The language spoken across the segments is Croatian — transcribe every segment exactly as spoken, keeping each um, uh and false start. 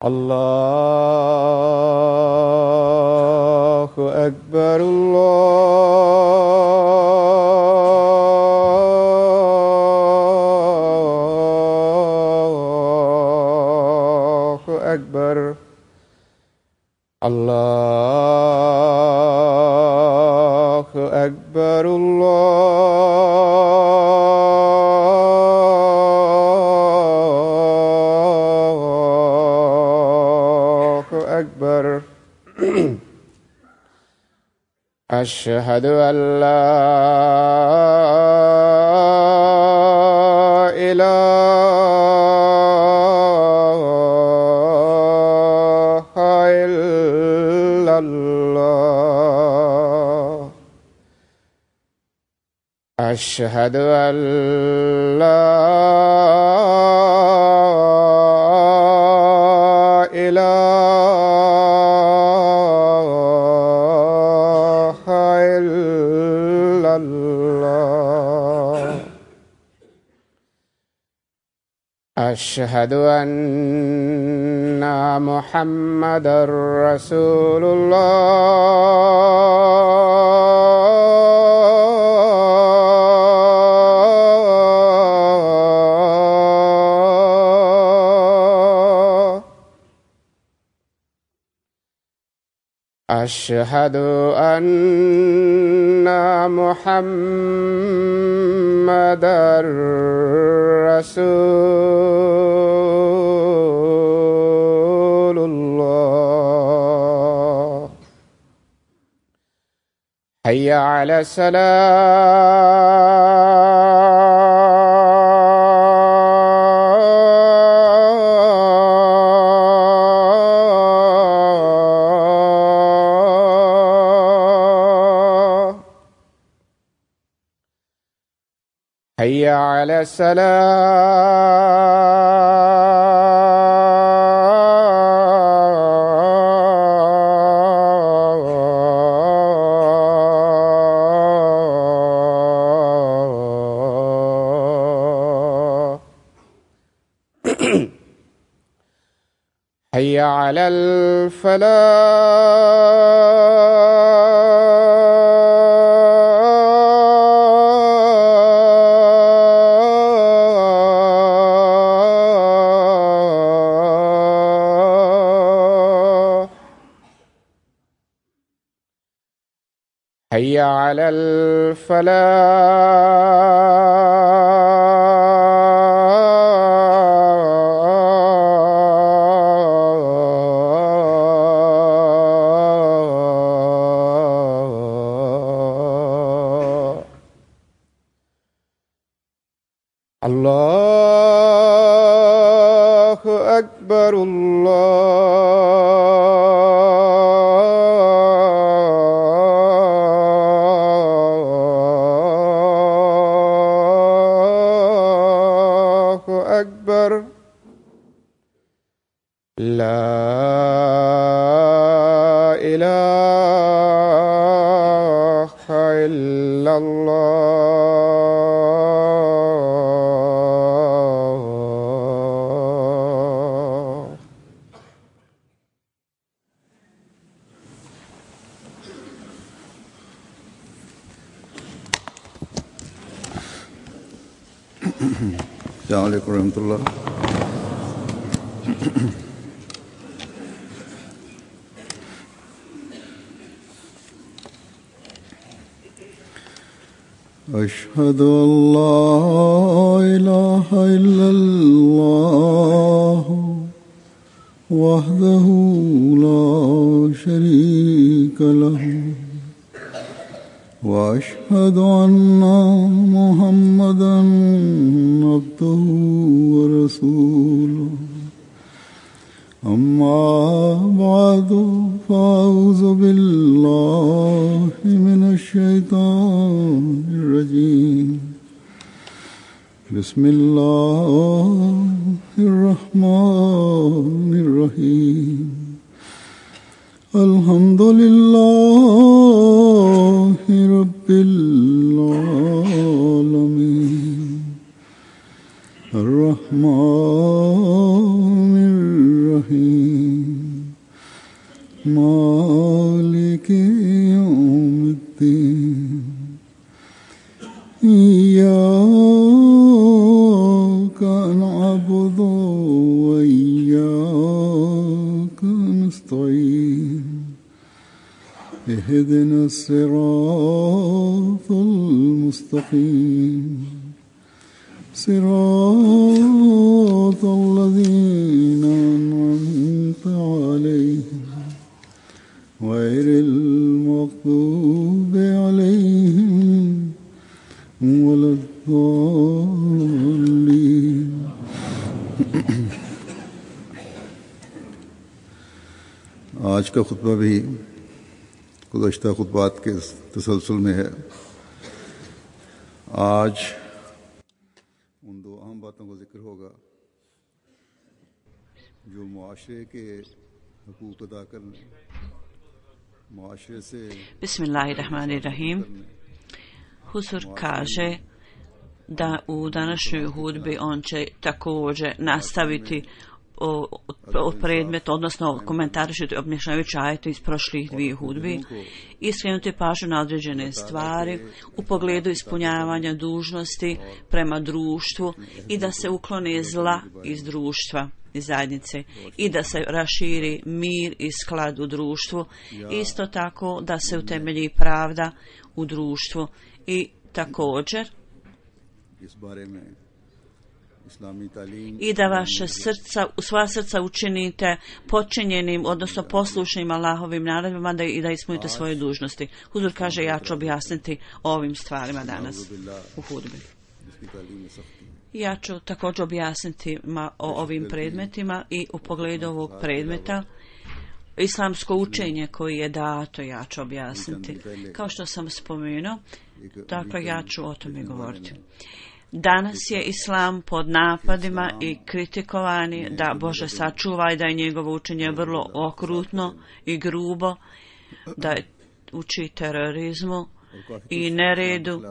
Allahu Akbar, Allahu Akbar, Allahu Akbar, Ashhadu an la ilaha illallah. Ashhadu an la ilaha Ashhadu anna Muhammadar Rasulullah. Ashhadu anna Muhammadar Rasulullah. Hayya 'ala salah. Hayya 'ala Hayya 'alal falah. Hayya 'alal falah. Allahu Akbar, Allahu Akbar. La ilaha illallah. Assalamualaikum warahmatullahi Ashhadu an la ilaha illallah wahdahu la sharika lahu wa ashhadu anna Muhammadan abduhu wa rasuluhu. Amma ba'du fa'udhu billahi minash shaitanir rajim. بسم الله الرحمن الرحيم الحمد لله رب العالمين الرحمن الرحيم مالك يوم الدين إياك نعبد وإياك نستعين اهدنا الصراط المستقيم صراط الذين أنعمت عليهم غير المغضوب عليهم ولا الضالين आज का खुतबा भी गुज़श्ता खुतबात के तसलसल में है। आज उन दो अहम बातों का जिक्र होगा जो मुआशरे के हुकूक अदा करने, मुआशरे से Bismillahirrahmanirrahim. Huzur kaže da u današnjoj hudbi on će također nastaviti o, o predmet, odnosno komentarišiti objašnjavajući ajete iz prošlih dvije hudbi i skrenuti pažnju na određene stvari u pogledu ispunjavanja dužnosti prema društvu i da se uklone zla iz društva, iz zajednice i da se raširi mir i sklad u društvu, isto tako da se utemelji pravda u društvu i također i da vaše srca, u svoja srca učinite počinjenim, odnosno poslušnim Allahovim naredbama da, i da ispunite svoje dužnosti. Huzur kaže, ja ću objasniti o ovim stvarima danas u hudbi. Ja ću također objasniti ma, o ovim predmetima i u pogledu ovog predmeta islamsko učenje koji je dato, ja ću objasniti. Kao što sam spomenuo, dakle ja ću o tome govoriti. Danas je islam pod napadima i kritikovani, da Bože sačuva i da je njegovo učenje vrlo okrutno i grubo, da uči terorizmu i neredu,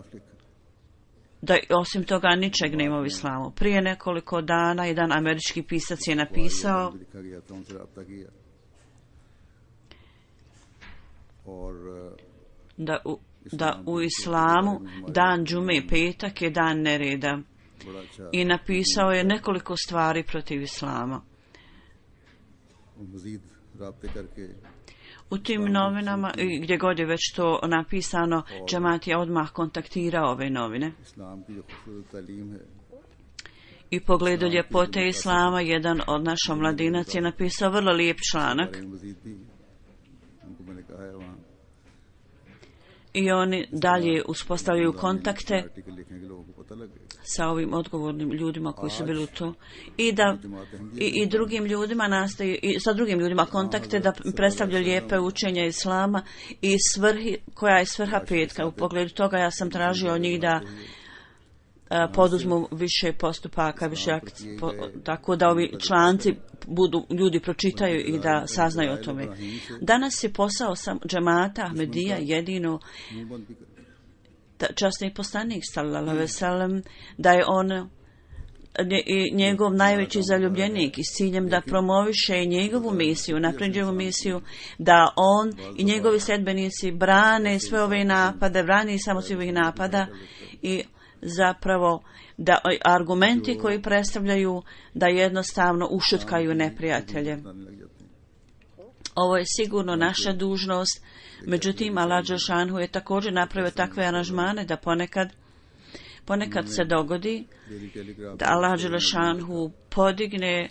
da osim toga ničeg nema u islamu. Prije nekoliko dana jedan američki pisac je napisao da u, da u islamu dan džume, petak je dan nereda, i napisao je nekoliko stvari protiv islama. U tim novinama, gdje god je već to napisano, džemat je odmah kontaktirao ove novine. I pogledu ljepote islama, jedan od naša mladinac je napisao vrlo lijep članak. I oni dalje uspostavljaju kontakte sa ovim odgovornim ljudima koji su bili u to i da i, i drugim ljudima nastoji i sa drugim ljudima kontakte da predstavljaju lijepe učenja islama i svrhi, koja je svrha petka. U pogledu toga ja sam tražio od njih da a, poduzmu više postupaka, više akci, po, tako da ovi članci budu, ljudi pročitaju i da saznaju o tome. Danas je posao sam džemata Ahmedija jedino časni poslanik sallallahu alejhi ve sellem, da je on njegov najveći zaljubljenik i s ciljem da promoviše njegovu misiju, napređevu misiju, da on i njegovi sledbenici brane sve ove napade, brane samo sve ovih napada i zapravo da argumenti koji predstavljaju da jednostavno ušutkaju neprijatelje. Ovo je sigurno naša dužnost, međutim Allah dželešanu je također napravio takve aranžmane da ponekad ponekad se dogodi da Allah dželešanu podigne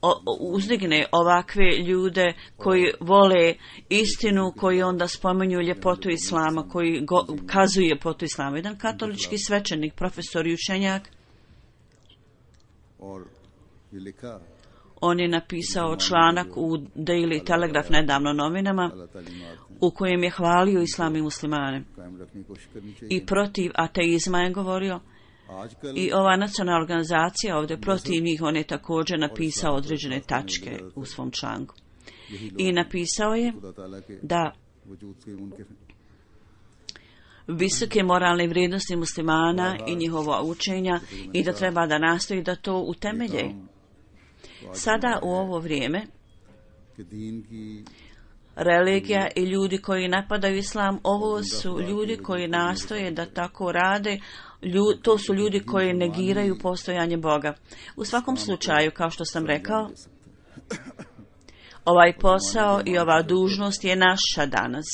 o, uzdigne ovakve ljude koji vole istinu, koji onda spominju ljepotu islama, koji go, kazuju ljepotu islama. Jedan katolički svećenik, profesor i učenjak, on je napisao članak u Daily Telegraph, nedavno novinama, u kojem je hvalio islam i muslimane. I protiv ateizma je govorio I ova nacionalna organizacija ovdje protiv njih, on je također napisao određene tačke u svom članku. I napisao je da visoke moralne vrijednosti muslimana i njihova učenja i da treba da nastoji da to utemelje. Sada u ovo vrijeme religija i ljudi koji napadaju islam, ovo su ljudi koji nastoje da tako rade, Lju, to su ljudi koji negiraju postojanje Boga. U svakom slučaju, kao što sam rekao, ovaj posao i ova dužnost je naša danas.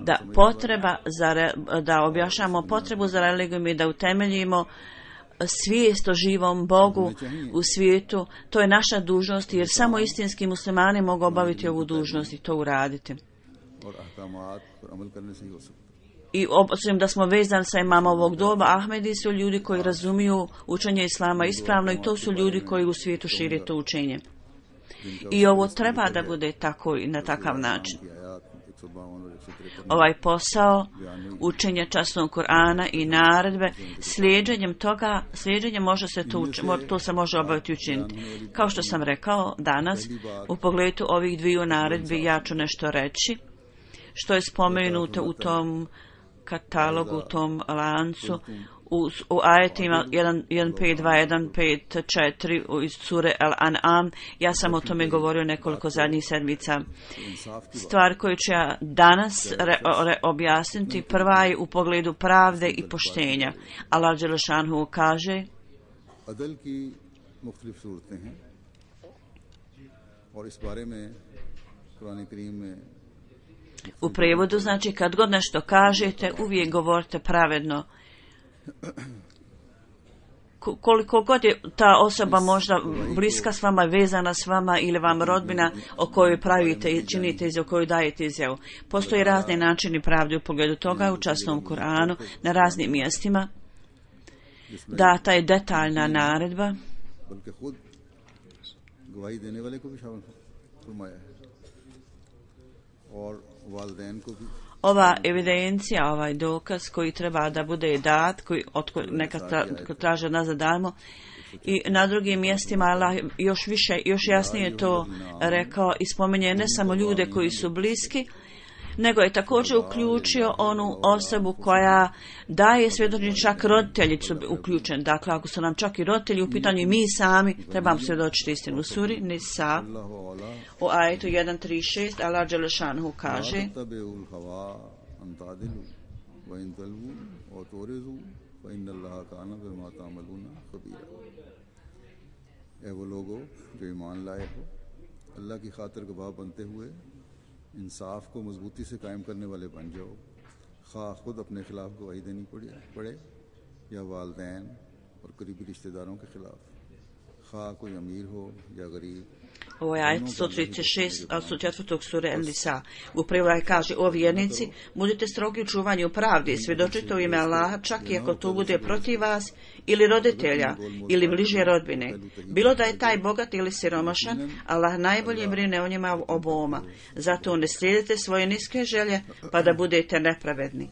Da potreba za re, da objašnjamo potrebu za religijom i da utemeljimo svijest o živom Bogu u svijetu, to je naša dužnost, jer samo istinski muslimani mogu obaviti ovu dužnost i to uraditi. I obzirom da smo vezani sa imama ovog doba, Ahmedi su ljudi koji razumiju učenje islama ispravno i to su ljudi koji u svijetu šire to učenje. I ovo treba da bude tako i na takav način. Ovaj posao učenja časnog Kur'ana i naredbe, slijeđenjem toga, slijeđenjem može se to, to se može obaviti učiniti. Kao što sam rekao danas, u pogledu ovih dviju naredbi ja ću nešto reći, što je spomenuto u tom katalogu, u tom lancu, u, u ajetima jedan pet dva jedan pet četiri iz sure Al-An'am. Ja sam o tome govorio nekoliko zadnjih sedmica. Stvar koju ću ja danas re, re, objasniti, prva je u pogledu pravde i poštenja. Allah dželešanhu kaže: u prevodu znači kad god nešto kažete, uvijek govorite pravedno. Koliko god je ta osoba možda bliska s vama, vezana s vama ili vam rodbina o kojoj pravite i činite izjavu, o kojoj dajete izjavu. Postoje razni načini pravde u pogledu toga u časnom Kur'anu na raznim mjestima. Data je detaljna naredba ova evidencija, ovaj dokaz koji treba da bude dat, koji od neka tra, traže nas da damo. I na drugim mjestima Allah još više, još jasnije to rekao i spominje ne samo ljude koji su bliski, nego je također uključio onu osobu koja daje svjedočenje, čak roditelji su uključeni. Dakle, ako su nam čak i roditelji u pitanju i mi sami trebamo svjedočiti istinu. U suri Nisa u ajetu jedan tri šest Allah dželešanhu kaže: evo logo jo iman laye ho Allah ki khatir gawah bante hue इंसाफ को मजबूती से कायम करने वाले बन जाओ, खा खुद अपने खिलाफ गवाही देनी पड़े पड़े या वालदैन और करीबी रिश्तेदारों के खिलाफ, खा कोई अमीर हो या गरीब. Ovo je ajet sto trideset šest od četvrtog sure El-Nisa. U prevodu kaže: o vjernici, budite strogi u čuvanju pravde i svjedočite u ime Allaha, čak i ako to bude protiv vas ili roditelja ili bliže rodbine. Bilo da je taj bogat ili siromašan, Allah najbolje brine o njima oboma. Zato ne slijedite svoje niske želje pa da budete nepravedni.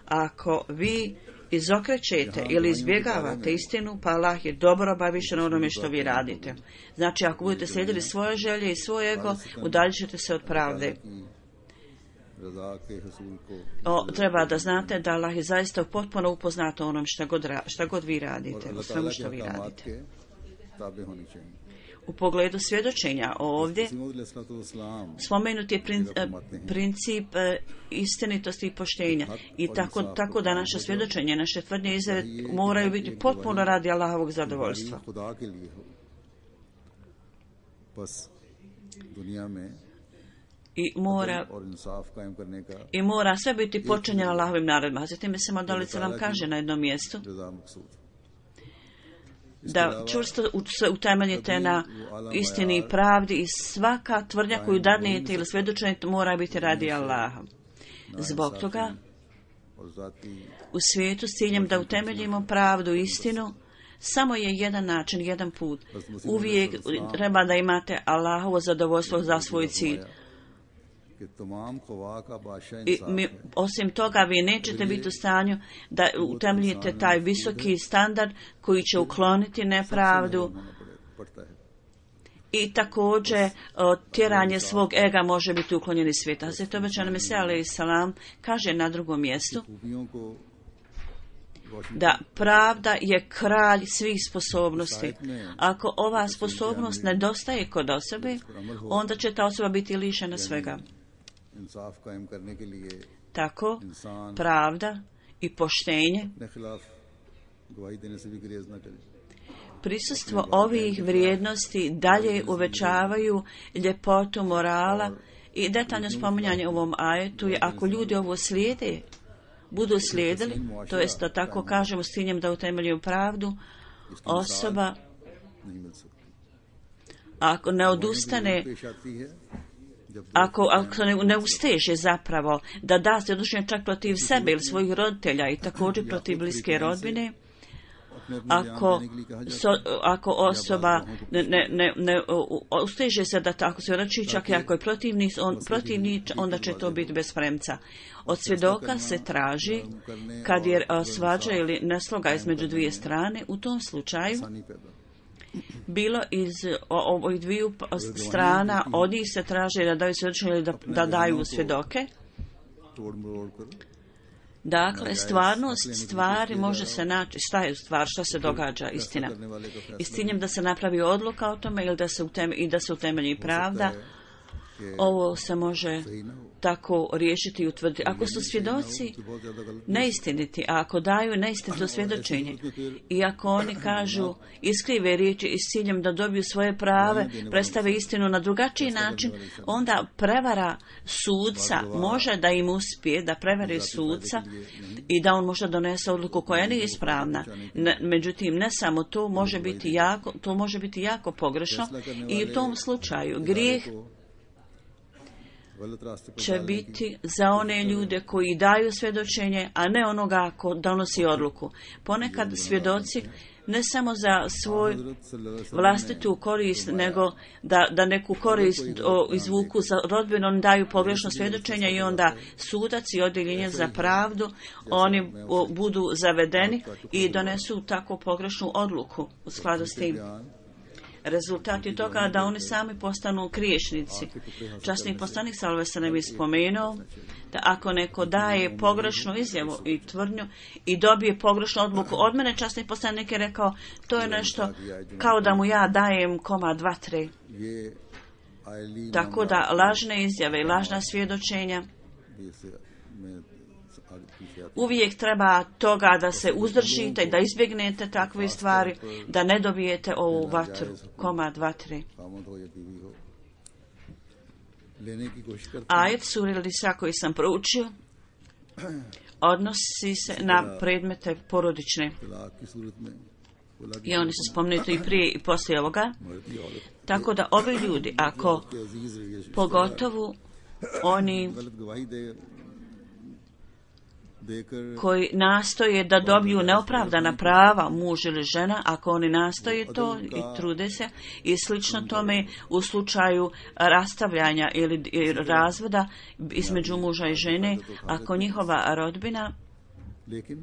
Ako vi izokrećete ili izbjegavate istinu, pa Allah je dobro obavišten onome što vi radite. Znači, ako budete slijedili svoje želje i svoj ego, udaljit ćete se od pravde. O, treba da znate da Allah je zaista potpuno upoznat o onom šta god, šta god vi radite, o svemu što vi radite. U pogledu svjedočenja ovdje spomenut je princip istinitosti i poštenja i tako, tako da naše svjedočenje, naše tvrdnje izjave moraju biti potpuno radi Allahovog zadovoljstva. I mora, i mora sve biti počinjeno Allahovim naredbama. Zatim se modalica nam kaže na jednom mjestu da čvrsto se utemeljite na istini i pravdi i svaka tvrdnja koju dadnete ili svjedočenje mora biti radi Allaha. Zbog toga u svijetu s ciljem da utemeljimo pravdu i istinu samo je jedan način, jedan put. Uvijek treba da imate Allahovo zadovoljstvo za svoj cilj. कि तमाम ख्वा का बादशाह I इंसाफ mi, है। osim toga, vi nećete biti u stanju da utemeljite taj visoki standard koji će ukloniti nepravdu होना पड़े- पड़ता है। i također o, tjeranje svog ega može biti uklonjeno iz svijeta. Hazreti Obećani Mesija alejhi salam kaže na drugom mjestu खूबियों को रोशन da pravda je kralj svih sposobnosti. Ako ova sposobnost nedostaje kod osobe, onda će ta osoba biti lišena svega. इंसाफ कायम करने के लिए Tako, इंसान pravda i poštenje, अपने खिलाफ गवाही देने से भी गुरेज न करे। prisustvo ovih vrijednosti dalje uvećavaju ljepotu morala i detaljno spominjanje u ovom ajetu je ako ljudi ovo slijede, budu slijedili, to jest da tako kažemo s ciljem da utemeljuju pravdu, osoba नहीं मिल सकती। ako ne odustane, पेश आती है जब ako, ako ne, ne usteže zapravo da da se odlučenje čak protiv sebe ili svojih roditelja i također protiv bliske rodbine, अपने अपने ako, बयान देने के लिए कहा जाता so, ako osoba ne, ne, ne, ne u- usteže se da tako se rači, čak i ako je protivnik, on, protivnik, onda će to biti bez premca. Od svjedoka se traži kad je a, svađa ili nesloga između dvije strane, u tom slučaju आसानी पैदा। bilo iz o- ovih dviju p- strana, od njih se traži da daju svjedočenje ili da, da daju svjedoke. तोड़ मरोड़ कर Dakle, stvarnost stvari može se naći, šta je stvar, šta se događa, istina. करने वाले का I s फैसला ciljem da se napravi odluka o tome ili da se uteme, i da se utemelji pravda, कि ovo se može सही ना हो। tako riješiti i utvrditi. Ako su svjedoci तो बहुत ज्यादा गलत neistiniti, a ako daju neistinito svjedočenje i ako oni kažu iskrive riječi i s ciljem da dobiju svoje prave, predstave istinu na drugačiji način, onda prevara sudca može da im uspije, da prevari sudca i da on može donese odluku koja nije ispravna. Ne, međutim, ne samo to može biti jako, to može biti jako pogrešno i u tom slučaju grijeh गलत रास्ते पर će biti za one ljude koji daju svjedočenje, a ne onoga ko donosi odluku. Ponekad svjedoci ne samo za svoj हजरत सल्लल्लाहु अलैहि वसल्लम vlastitu korist, nego da, da neku korist o, izvuku za rodbinu, oni daju pogrešno svjedočenje i onda sudac i odjeljenje za pravdu, oni o, budu zavedeni i donesu tako pogrešnu odluku u skladu s tim. बयान Rezultat je toga da oni sami postanu griješnici. Časni poslanik sallallahu alejhi ve sellem je spomenuo da ako neko daje pogrešnu izjavu i tvrdnju i dobije pogrešnu odluku od mene, časni poslanik je rekao, to je nešto kao da mu ja dajem komad vatre. ये oily Tako da lažne izjave i lažna svjedočenja भी से मैं आगे पीछे आते uvijek treba toga da se uzdržite i da izbjegnete takve stvari, da ne dobijete ovu vatru, komad vatre. Kamat हो या बीवी हो लेने की कोशिश करते Ajet sure Nisa koji sam proučio odnosi se na predmete porodične हैं तलाक की सूरत में बोला कि i oni su spomenuti i prije i poslije ovoga. मर्दी औरत Tako da ovi ljudi, ako के अजीज रिश्तेदार pogotovo oni गलत गवाही दे देकर koji nastoje da dobiju neopravdana prava muž ili žena, ako oni nastoje to i trude se i slično tome u slučaju rastavljanja ili ili razvoda između muža i žene, ako njihova rodbina लेकिन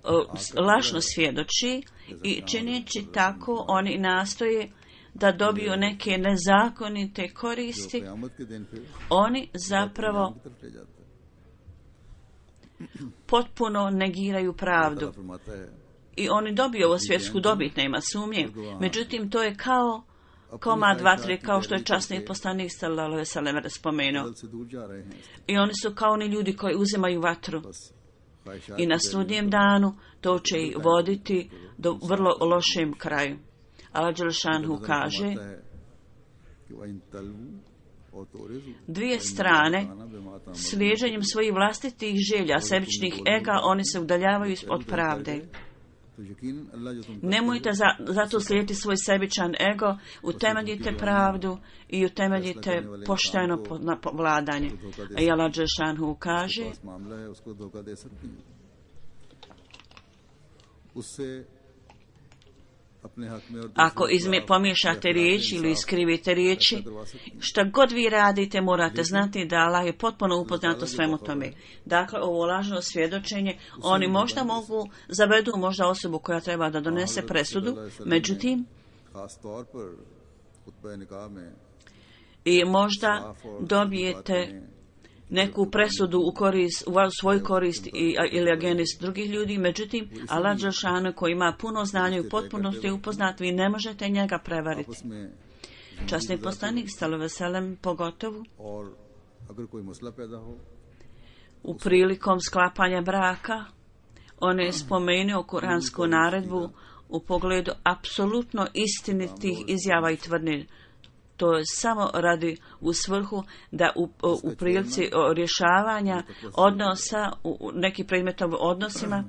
o, s- lažno svjedoči i čineći tako oni nastoje da dobiju neke nezakonite जो koristi, क़यामत के दिन फिर oni zapravo की तरफ ले जाता है potpuno negiraju pravdu. अल्लाह फरमाता है I oni dobiju ovo svjetsku dobit, nema sumnje. Međutim, to je kao komad vatre, kao što je časni poslanik sallallahu alejhi ve sellem spomenuo. गलत से दूर जा रहे हैं I oni su kao oni ljudi koji uzimaju vatru. बस ख्वाहिशात I na की sudnjem danu to će ih voditi do vrlo lošem kraju. Allah Đelšanhu नजर kaže, फरमाता है कि वइन तलू और तोरिज़ु dvije strane, slijeđenjem svojih vlastitih želja, sebičnih ega, oni se udaljavaju od pravde. तो यकीनन अल्लाह जो तुम Nemojte za, zato slijediti svoj sebičan ego, utemeljite pravdu i utemeljite pošteno po, na po- vladanje. A i Allah Đelšanhu kaže, पास मामला है उसको धोखा दे सकती हैं उससे Ako izme, pomiješate riječi ili iskrivite riječi, šta god vi radite, morate znati da Allah je potpuno upoznat o svemu tome. Dakle, ovo lažno svjedočenje, oni možda mogu, zavedu možda osobu koja treba da donese presudu, međutim, i možda dobijete neku presudu u korist, u svoj korist i, ili agenist drugih ljudi, međutim, Allah dželešanu koji ima puno znanja i potpunosti upoznat, vi ne možete njega prevariti. Časni poslanik sallallahu alejhi ve sellem pogotovo u prilikom sklapanja braka, on je spomenuo kuransku naredbu u pogledu apsolutno istinitih izjava i tvrdnji. To je samo radi u svrhu da u, u prilici rješavanja odnosa u nekim predmetom odnosima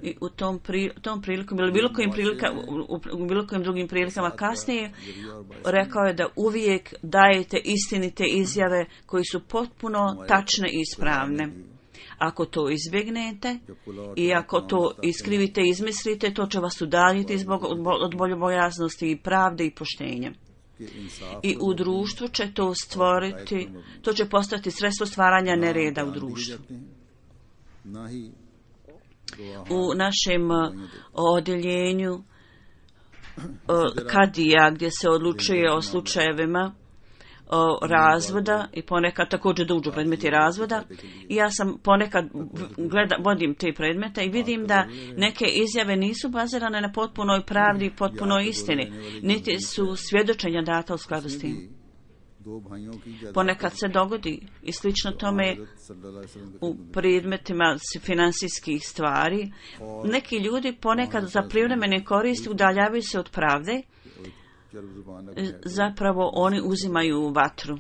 i u tom, pri, tom prilikom ili bilo kojim prilika, u, u bilo kojim drugim prilikama kasnije rekao je da uvijek dajete istinite izjave koji su potpuno tačne i ispravne. Ako to izbjegnete i ako to iskrivite i izmislite, to će vas udaljiti zbog od boljobojaznosti i pravde i poštenja. I u društvu će to stvoriti, to će postati sredstvo stvaranja nereda u društvu. U našem odjeljenju kadija, gdje se odlučuje o slučajevima o razvoda i ponekad također dođu predmeti razvoda i ja sam ponekad gleda, vodim te predmete i vidim da neke izjave nisu bazirane na potpunoj pravdi i potpunoj istini, niti su svjedočenja data u skladu s tim. Ponekad se dogodi i slično tome u predmetima finansijskih stvari. Neki ljudi ponekad za privremene koristi udaljavaju se od pravde, zapravo oni uzimaju vatru.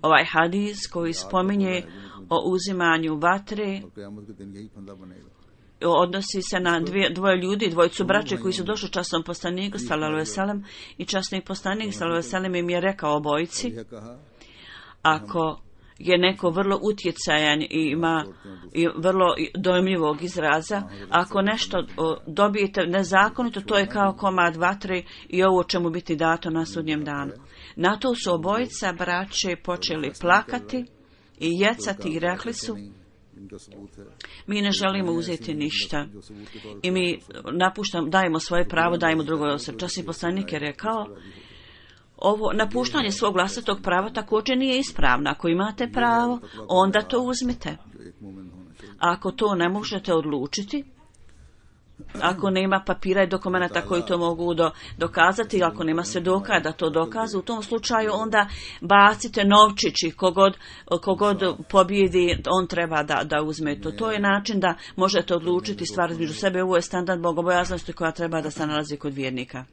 Ovaj hadis koji spominje o uzimanju vatre odnosi se na dvije, dvoje ljudi, dvojicu braće koji su došli časnom poslaniku sallallahu alejhi ve sellem i časni poslanik sallallahu alejhi ve sellem im je rekao obojici: ako je neko vrlo utjecajan i ima i vrlo dojmljivog izraza, ako nešto dobijete nezakonito, to je kao komad vatre i ovo će mu biti dato na sudnjem danu. Na to su obojica braće počeli plakati i jecati i rekli su: mi ne želimo uzeti ništa i mi napuštamo, dajemo svoje pravo, dajemo drugoj osobi. Časni poslanik je rekao: ovo napuštanje svog vlastitog prava također nije ispravno. Ako imate pravo, onda to uzmite. Ako to ne možete odlučiti, ako nema papira i dokumenta koji to mogu do, dokazati, ako nema svjedoka da to dokazu, u tom slučaju onda bacite novčić i kogod, kogod pobjedi, on treba da, da uzme to. To je način da možete odlučiti stvar između sebe. Ovo je standard bogobojaznosti koja treba da se nalazi kod vjernika.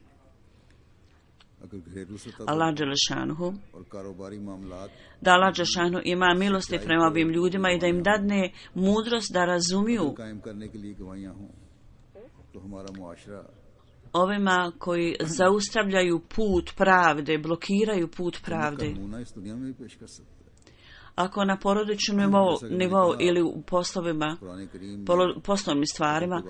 Allah dželešanuhu, da Allah dželešanuhu ima milosti prema ovim ljudima i da im dadne mudrost da razumiju ovima koji zaustavljaju put pravde, blokiraju put pravde. Ako na porodičnom nivou, nivou ili u poslovima, poslovnim stvarima,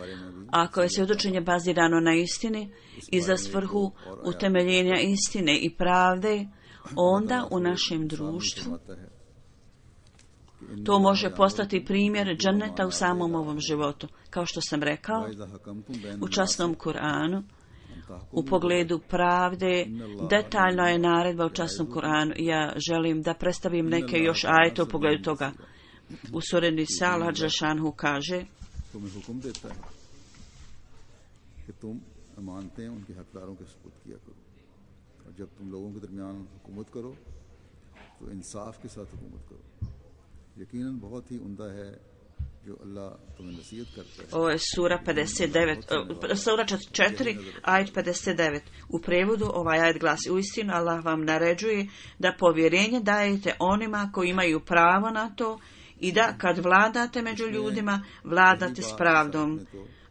ako je svjedočenje bazirano na istini i za svrhu utemeljenja istine i pravde, onda u našem društvu to može postati primjer dženneta u samom ovom životu. Kao što sam rekao, u časnom Kur'anu, u pogledu pravde, detaljno je naredba u časnom Kur'anu. Ja želim da predstavim neke još ajete u pogledu toga. U suri Nisa Allah dželešanuhu kaže: ovo je sura pedeset devet, sura četiri, ajet pedeset devet. U prevodu ovaj ajet glasi: uistinu Allah vam naređuje da povjerenje dajete onima koji imaju pravo na to i da kad vladate među ljudima, vladate s pravdom.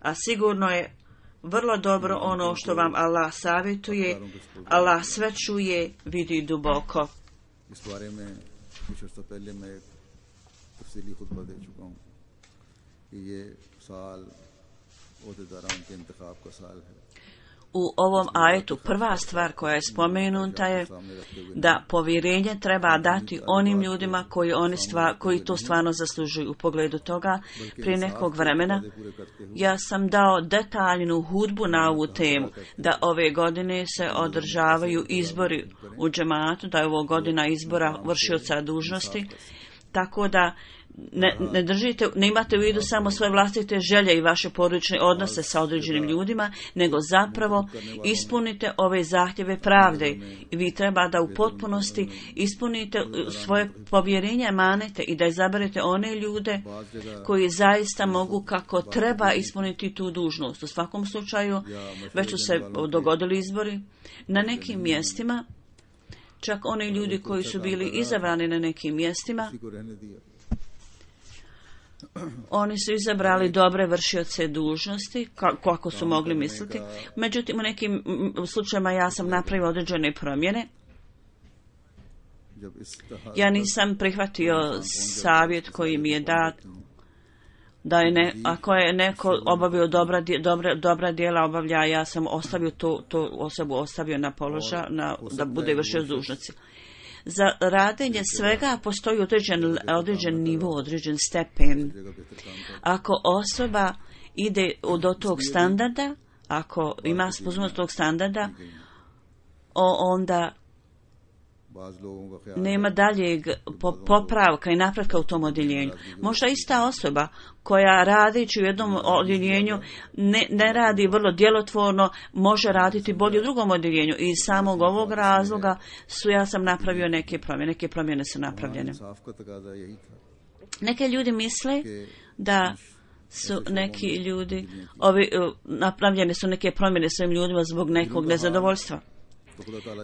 A sigurno je vrlo dobro ono što vam Allah savjetuje. Allah sve čuje, vidi duboko. ओहदेदारान के इंतखाब का साल है। U ovom ajetu prva stvar koja je spomenuta je da povjerenje treba dati onim ljudima koji, oni stva, koji to stvarno zaslužuju. U pogledu toga, prije nekog vremena, ja sam dao detaljnu hudbu na ovu temu, da ove godine se održavaju izbori u džematu, da je ovo godina izbora vršioca dužnosti, tako da Ne, ne držite, ne imate u vidu samo svoje vlastite želje i vaše porodične odnose sa određenim ljudima, nego zapravo ispunite ove zahtjeve pravde. I vi treba da u potpunosti ispunite svoje povjerenje, manete i da izaberete one ljude koji zaista mogu kako treba ispuniti tu dužnost. U svakom slučaju, već su se dogodili izbori na nekim mjestima, čak oni ljudi koji su bili izabrani na nekim mjestima, oni su izabrali dobre vršioce dužnosti, kako su mogli misliti. Međutim, u nekim slučajima ja sam napravio određene promjene. Ja nisam prihvatio savjet koji mi je dat, da je ne, ako je neko obavio dobra, dobra, dobra djela obavlja, ja sam ostavio to, to osobu ostavio na položaj, na, da bude vršioc dužnosti. Za radenje svega postoji određen, određen nivo, određen stepen. Ako osoba ide do tog standarda, ako ima sposobnost tog standarda, onda nema daljeg popravka i napretka u tom odjeljenju. Možda ista osoba koja radići u jednom odjeljenju ne, ne radi vrlo djelotvorno, može raditi bolje u drugom odjeljenju. I iz samog ovog razloga su ja sam napravio neke promjene. Neke promjene su napravljene. Neke ljudi misle da su neki ljudi, ovi, napravljene su neke promjene svojim ljudima zbog nekog nezadovoljstva.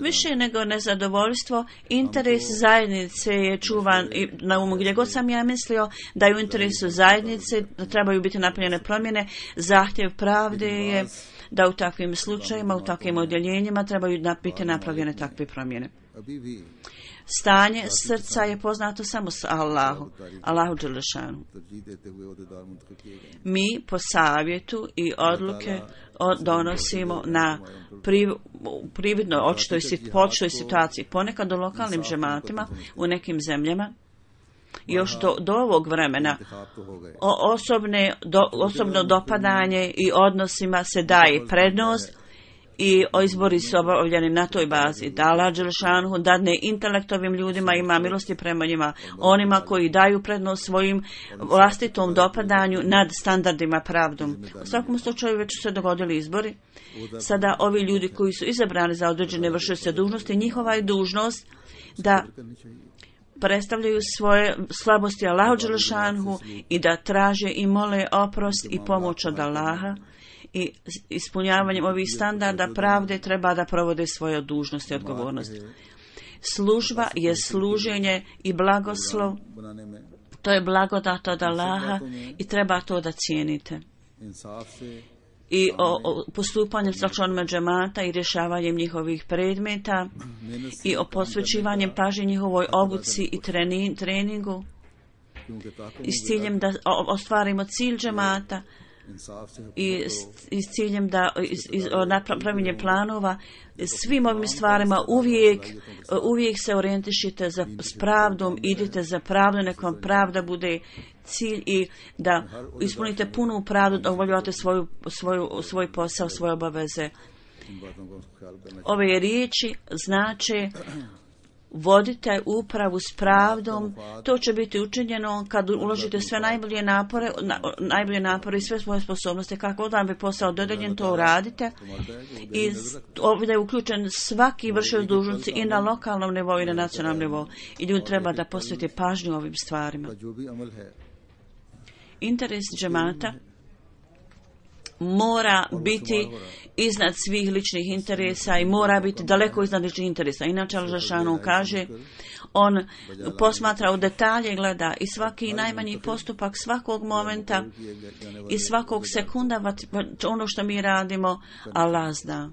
Više nego nezadovoljstvo, interes zajednice je čuvan i na umu. Gdje god sam ja mislio da je u interesu zajednice, da trebaju biti napravljene promjene, zahtjev pravde je da u takvim slučajima, u takvim odjeljenjima trebaju biti napravljene takve promjene. Stanje srca je poznato samo s Allahu, Allahu dželešanu. Mi po savjetu i odluke donosimo na priv, prividnoj očitoj situaciji. Ponekad u lokalnim džematima u nekim zemljama još do, do ovog vremena o, osobne, do, osobno dopadanje i odnosima se daje prednost i izbori su obavljeni na toj bazi. Da Allah dželešanu dadne intelektovim ljudima, ima milosti prema njima, onima koji daju prednost svojim vlastitom dopadanju nad standardima pravdom. U svakom slučaju već su se dogodili izbori. Sada ovi ljudi koji su izabrani za određene vršioce dužnosti, njihova je dužnost da predstavljaju svoje slabosti Allahu dželešanu i da traže i mole oprost i pomoć od Allaha. I ispunjavanjem ovih standarda pravde treba da provode svoje dužnosti i odgovornosti. Služba je služenje i blagoslov. To je blagodat od Allaha i treba to da cijenite. I o, o postupanjem sa članovima džemata i rješavanjem njihovih predmeta i o posvećivanjem pažnje njihovoj obuci i treni, treningu i s ciljem da ostvarimo cilj džemata i s ciljem da napravljenje planova. Svim ovim stvarima uvijek, uvijek se orijentišite za, s pravdom, idite za pravdu, nekom pravda bude cilj i da ispunite punu pravdu, da obavljate svoju, svoju, svoj posao, svoje obaveze. Ove riječi znače vodite upravu s pravdom, to će biti učinjeno kad uložite sve najbolje napore, na, najbolje napore i sve svoje sposobnosti, kako vam bi posao dodeljen, to uradite. I ovdje je uključen svaki vršioc dužnosti i na lokalnom nivou i na nacionalnom nivou. I ljudi treba da posvete pažnju ovim stvarima. Interes džemata mora biti iznad svih ličnih interesa i mora biti daleko iznad ličnih interesa. Inače, Al-Žešanu kaže, on posmatra u detalje, gleda i svaki najmanji postupak svakog momenta i svakog sekunda, ono što mi radimo, Allah zna.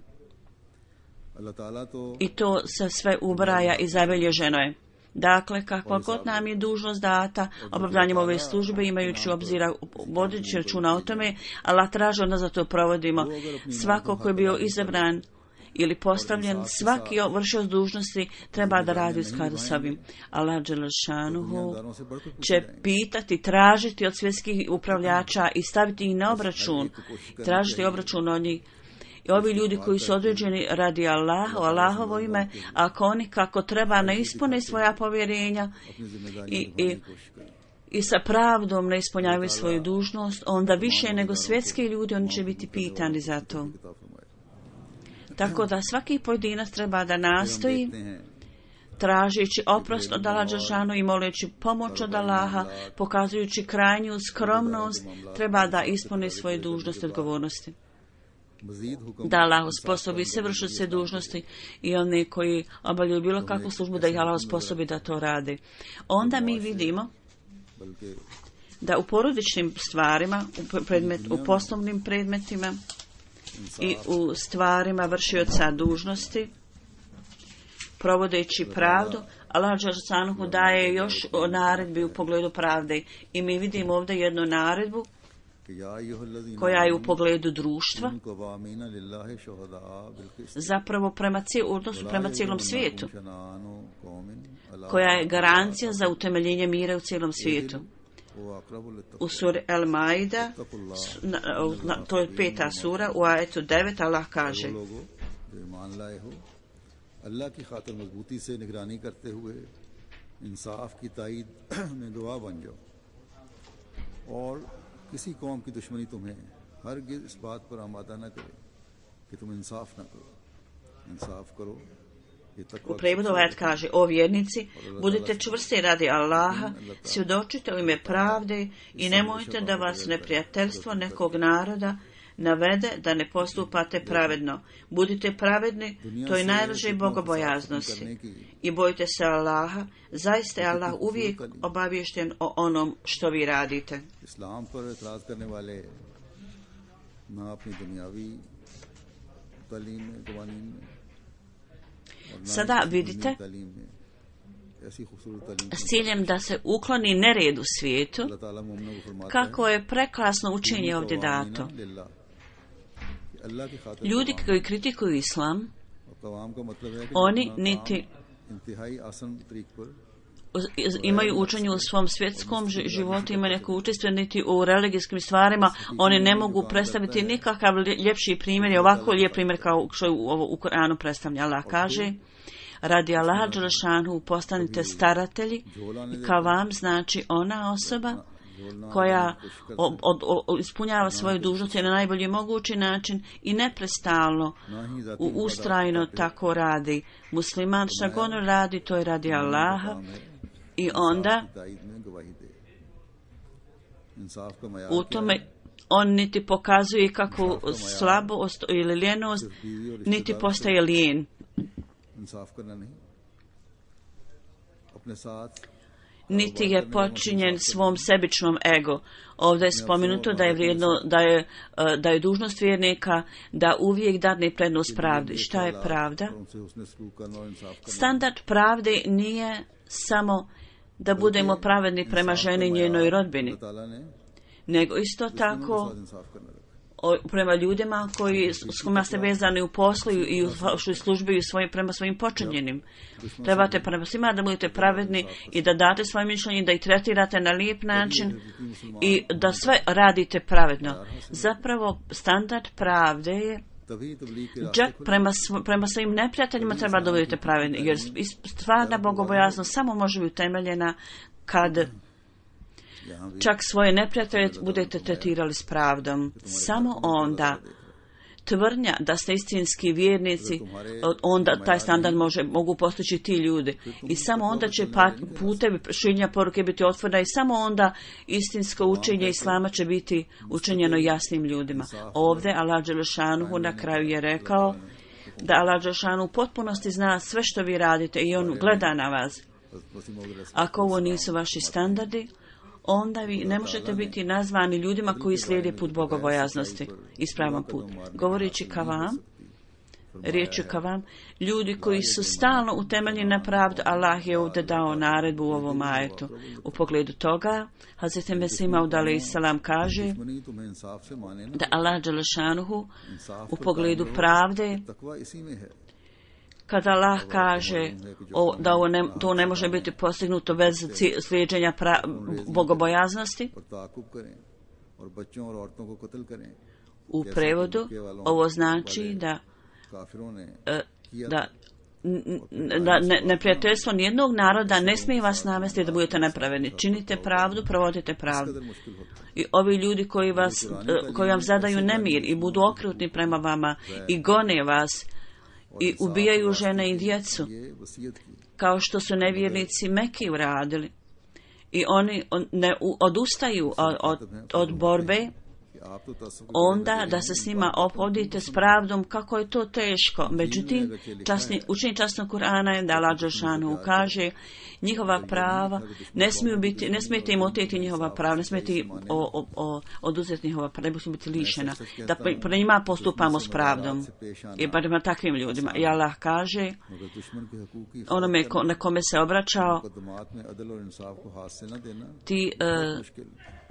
I to se sve ubraja i zabilježeno je. Dakle, kakva god nam je dužnost data, obavljanjem ove službe, imajući obzira, vodeći računa o tome, Allah traži od nas da to provodimo. Svako ko je bio izabran ili postavljen, svaki vršioc dužnosti treba da radi u skladu s ovim. Allah dželešanuhu će pitati, tražiti od svjetskih upravljača i staviti ih na obračun, tražiti obračun od njih. I ovi ljudi koji su određeni radi Allaha, u Allahovo ime, ako oni kako treba ne ispune svoja povjerenja i, i, i sa pravdom ne ispunjavaju svoju dužnost, onda više nego svjetski ljudi oni će biti pitani za to. Tako da svaki pojedinac treba da nastoji, tražeći oprost od Allaha dželešanu i moleći pomoć od Allaha, pokazujući krajnju skromnost, treba da ispuni svoje dužnosti i odgovornosti. Da Allah usposobi se vršioce dužnosti i one koji obavljaju bilo kakvu službu, da ih Allah usposobi da to rade. Onda mi vidimo da u porodičnim stvarima, u, predmet, u poslovnim predmetima i u stvarima vršioca dužnosti, provodeći pravdu, Allah dželešanu daje još naredbi u pogledu pravde. I mi vidimo ovdje jednu naredbu koja je u pogledu društva, zapravo prema, cijel, prema cijelom svijetu, koja je garancija za utemeljenje mira u cijelom svijetu. U suri Al-Maida, to je peta sura, u ajetu devet, Allah kaže: अल्लाह की खातिर मजबूती से निगरानी करते हुए इंसाफ की ताईद में गवाह बन जाओ और किसी कौम की दुश्मनी तुम्हें हरगिज़ इस बात पर आमादा न करे कि तुम इंसाफ न करो इंसाफ करो. U prevodu ajet kaže: o vjernici, budite čvrsti radi Allaha, svjedočite u ime pravde i nemojte da vas neprijateljstvo nekog naroda navede da ne postupate pravedno. Budite pravedni, to je najbliže bogobojaznosti. I bojite se Allaha, zaista je Allah uvijek obaviješten o onom što vi radite. Islam par etraz karne wale na apni dunyavi talim mein qawanin mein. Sada vidite, s ciljem da se ukloni nered u svijetu, kako je prekrasno učenje ovdje dato. Ljudi koji kritikuju islam, oni niti imaju učenje u svom svjetskom životu, imaju neko učestvuje niti u religijskim stvarima, oni ne mogu predstaviti nikakav ljepši primjer, ovako lijep primjer kao što je u Koranu predstavlja. Allah kaže: radi Allaha dželešanu postanite staratelji, i kao vam znači ona osoba koja od, od, od, ispunjava svoju dužnost na najbolji mogući način i neprestalno, ustrajno tako radi. Musliman šta god radi, to je radi Allaha, i onda u tome on niti pokazuje kakvu slabost ili ljenost, niti postaje lijen. Niti je počinjen svom sebičnom ego. Ovdje je spomenuto da je vrijedno, da je, da je dužnost vjernika da uvijek dadne prednost pravdi. Šta je pravda? Standard pravde nije samo da budemo pravedni prema ženi i njenoj rodbini, nego isto tako prema ljudima koji s kojima ste vezani u poslu i u službi i svoj, prema svojim počinjenim. Trebate prema svima da budete pravedni i da date svoje mišljenje, da ih tretirate na lijep način i da sve radite pravedno. Zapravo standard pravde je čak prema, prema svojim neprijateljima treba da budete pravedni, jer stvarna bogobojaznost samo može biti utemeljena kad čak svoje neprijatelje budete tretirali s pravdom. Samo onda tvrdnja da ste istinski vjernici, onda taj standard može, mogu postići ti ljudi. I samo onda će putevi širenja poruke biti otvoreni i samo onda istinsko učenje Islama će biti učinjeno jasnim ljudima. Ovdje Allah dželešanu na kraju je rekao da Allah dželešanu u potpunosti zna sve što vi radite i on gleda na vas. Ako ovo nisu vaši standardi, onda vi ne možete biti nazvani ljudima koji slijede put bogobojaznosti, ispravan put. Govoreći ka vam, riječi ka vam, ljudi koji su stalno utemeljeni na pravdu, Allah je ovdje dao naredbu u ovom ajetu. U pogledu toga, Hazreti Mesih Maud alejhi selam kaže da Allah dželešanuhu u pogledu pravde, kada Allah kaže o, da ovo ne, to ne može biti postignuto bez slijeđenja pra, bogobojaznosti, u prevodu ovo znači da da da ne, neprijateljstvo nijednog naroda ne smije vas navesti da budete nepravedni. Činite pravdu, provodite pravdu. I ovi ljudi koji, vas, koji vam zadaju nemir i budu okrutni prema vama i gone vas i ubijaju žene i djecu, kao što su nevjernici Meki uradili, i oni ne odustaju od, od, od borbe, onda da se s njima ophodite s pravdom, kako je to teško. Međutim, časni, učenje časnog Kur'ana je da Allah dželešanu kaže njihova prava, ne smiju biti, ne smijete im oteti njihova prava, ne smijete o, o, o, oduzeti njihova prava, ne smiju biti lišena. Da pre njima postupamo s pravdom. I barem takvim ljudima. I Allah kaže onome ko, na kome se obraćao, ti uh,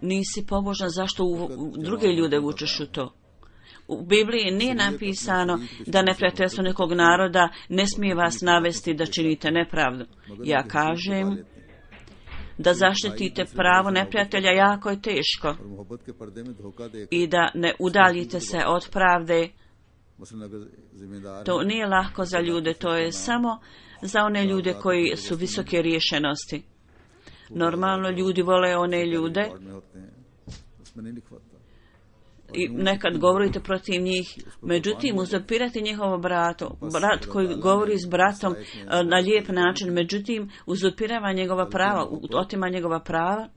nisi pobožan, zašto u druge ljude vučeš u to? U Bibliji nije napisano da neprijateljstvo nekog naroda ne smije vas navesti da činite nepravdu. Ja kažem da zaštitite pravo neprijatelja jako je teško i da ne udaljite se od pravde. To nije lako za ljude, to je samo za one ljude koji su visoke riješenosti. Normalno ljudi vole one ljude i nekad govorite protiv njih, međutim uzurpirati njihovo brato, brat koji govori s bratom na lijep način, međutim uzurpirava njegova prava, otima njegova prava.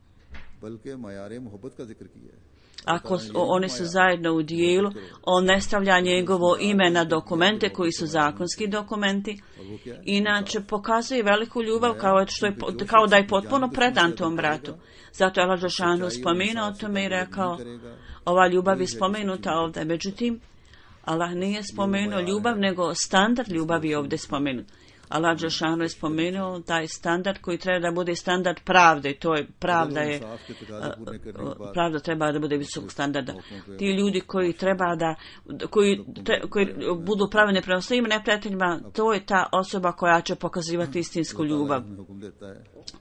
Ako oni su zajedno u dijelu, on ne stavlja njegovo ime na dokumente koji su zakonski dokumenti, inače pokazuje veliku ljubav kao, što je, kao da je potpuno predan tom bratu. Zato je Allah dželešanu spomenuo o tome i rekao, ova ljubav je spomenuta ovdje, međutim Allah nije spomenuo ljubav, nego standard ljubavi je ovdje spomenut. Allah dželešanu je spomenuo taj standard koji treba da bude standard pravde. To je pravda je pravda treba da bude visokog standarda. Ti ljudi koji treba da koji, tre, koji budu pravedni prema svim neprijateljima, to je ta osoba koja će pokazivati istinsku ljubav.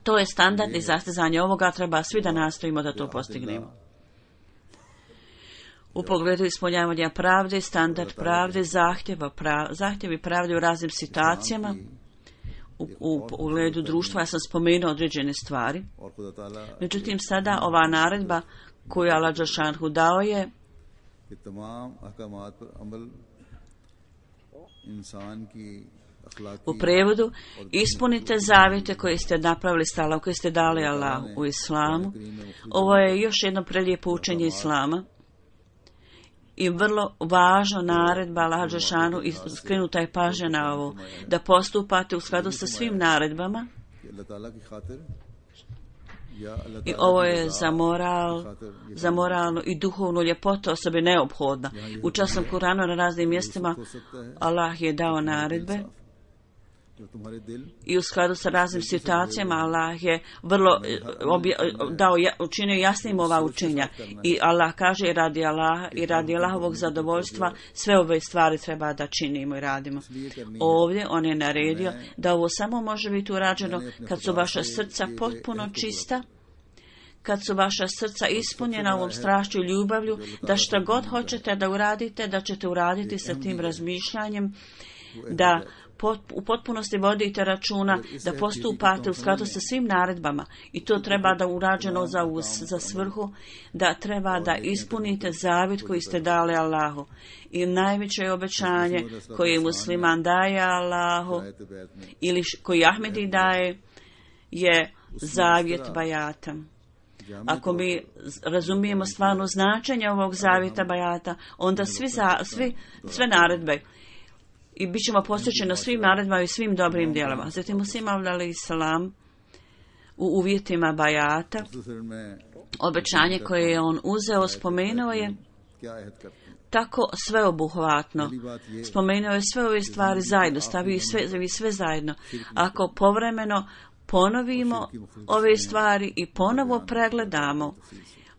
To je standard i zastezanje ovoga, treba svi da nastojimo da to postignemo. U pogledu ispunjavanja pravde, standard pravde, zahtjeva prav, zahtjevi pravde u raznim situacijama, u, u pogledu društva, ja sam spomenuo određene stvari. Međutim, sada ova naredba koju Allah dželešanu dao je u prevodu, ispunite zavjete koje ste napravili s Allahom, koje ste dali Allahu u islamu. Ovo je još jedno prelijepo učenje islama i vrlo važno naredba Allah dželešanu, i skrenuta je pažnja na ovo, da postupate u skladu sa svim naredbama. I ovo je za moral, za moralnu i duhovnu ljepotu osobe neophodna. U časnom Kuranu na raznim mjestima Allah je dao naredbe i u skladu sa raznim situacijama Allah je vrlo obje, dao, učinio jasnim ova učenja. I Allah kaže i radi Allaha i radi Allahovog zadovoljstva sve ove stvari treba da činimo i radimo. Ovdje on je naredio da ovo samo može biti urađeno kad su vaša srca potpuno čista, kad su vaša srca ispunjena ovom strašću i ljubavlju, da šta god hoćete da uradite, da ćete uraditi sa tim razmišljanjem, da u potpunosti vodite računa, da postupate u skladu sa svim naredbama, i to treba da urađeno za, za svrhu, da treba da ispunite zavjet koji ste dali Allahu. I najveće obećanje koje musliman daje Allahu ili koji Ahmedi daje je zavjet bajata. Ako mi razumijemo stvarno značenje ovog zavjeta bajata, onda svi, za, svi sve naredbe i bit ćemo posvećeni svim naredbama i svim dobrim djelama. Zatim Musa Maud alejhi selam u uvjetima bajata, obećanje koje je on uzeo, spomenuo je tako sveobuhvatno. Spomenuo je sve ove stvari zajedno, stavio sve, sve zajedno. Ako povremeno ponovimo ove stvari i ponovo pregledamo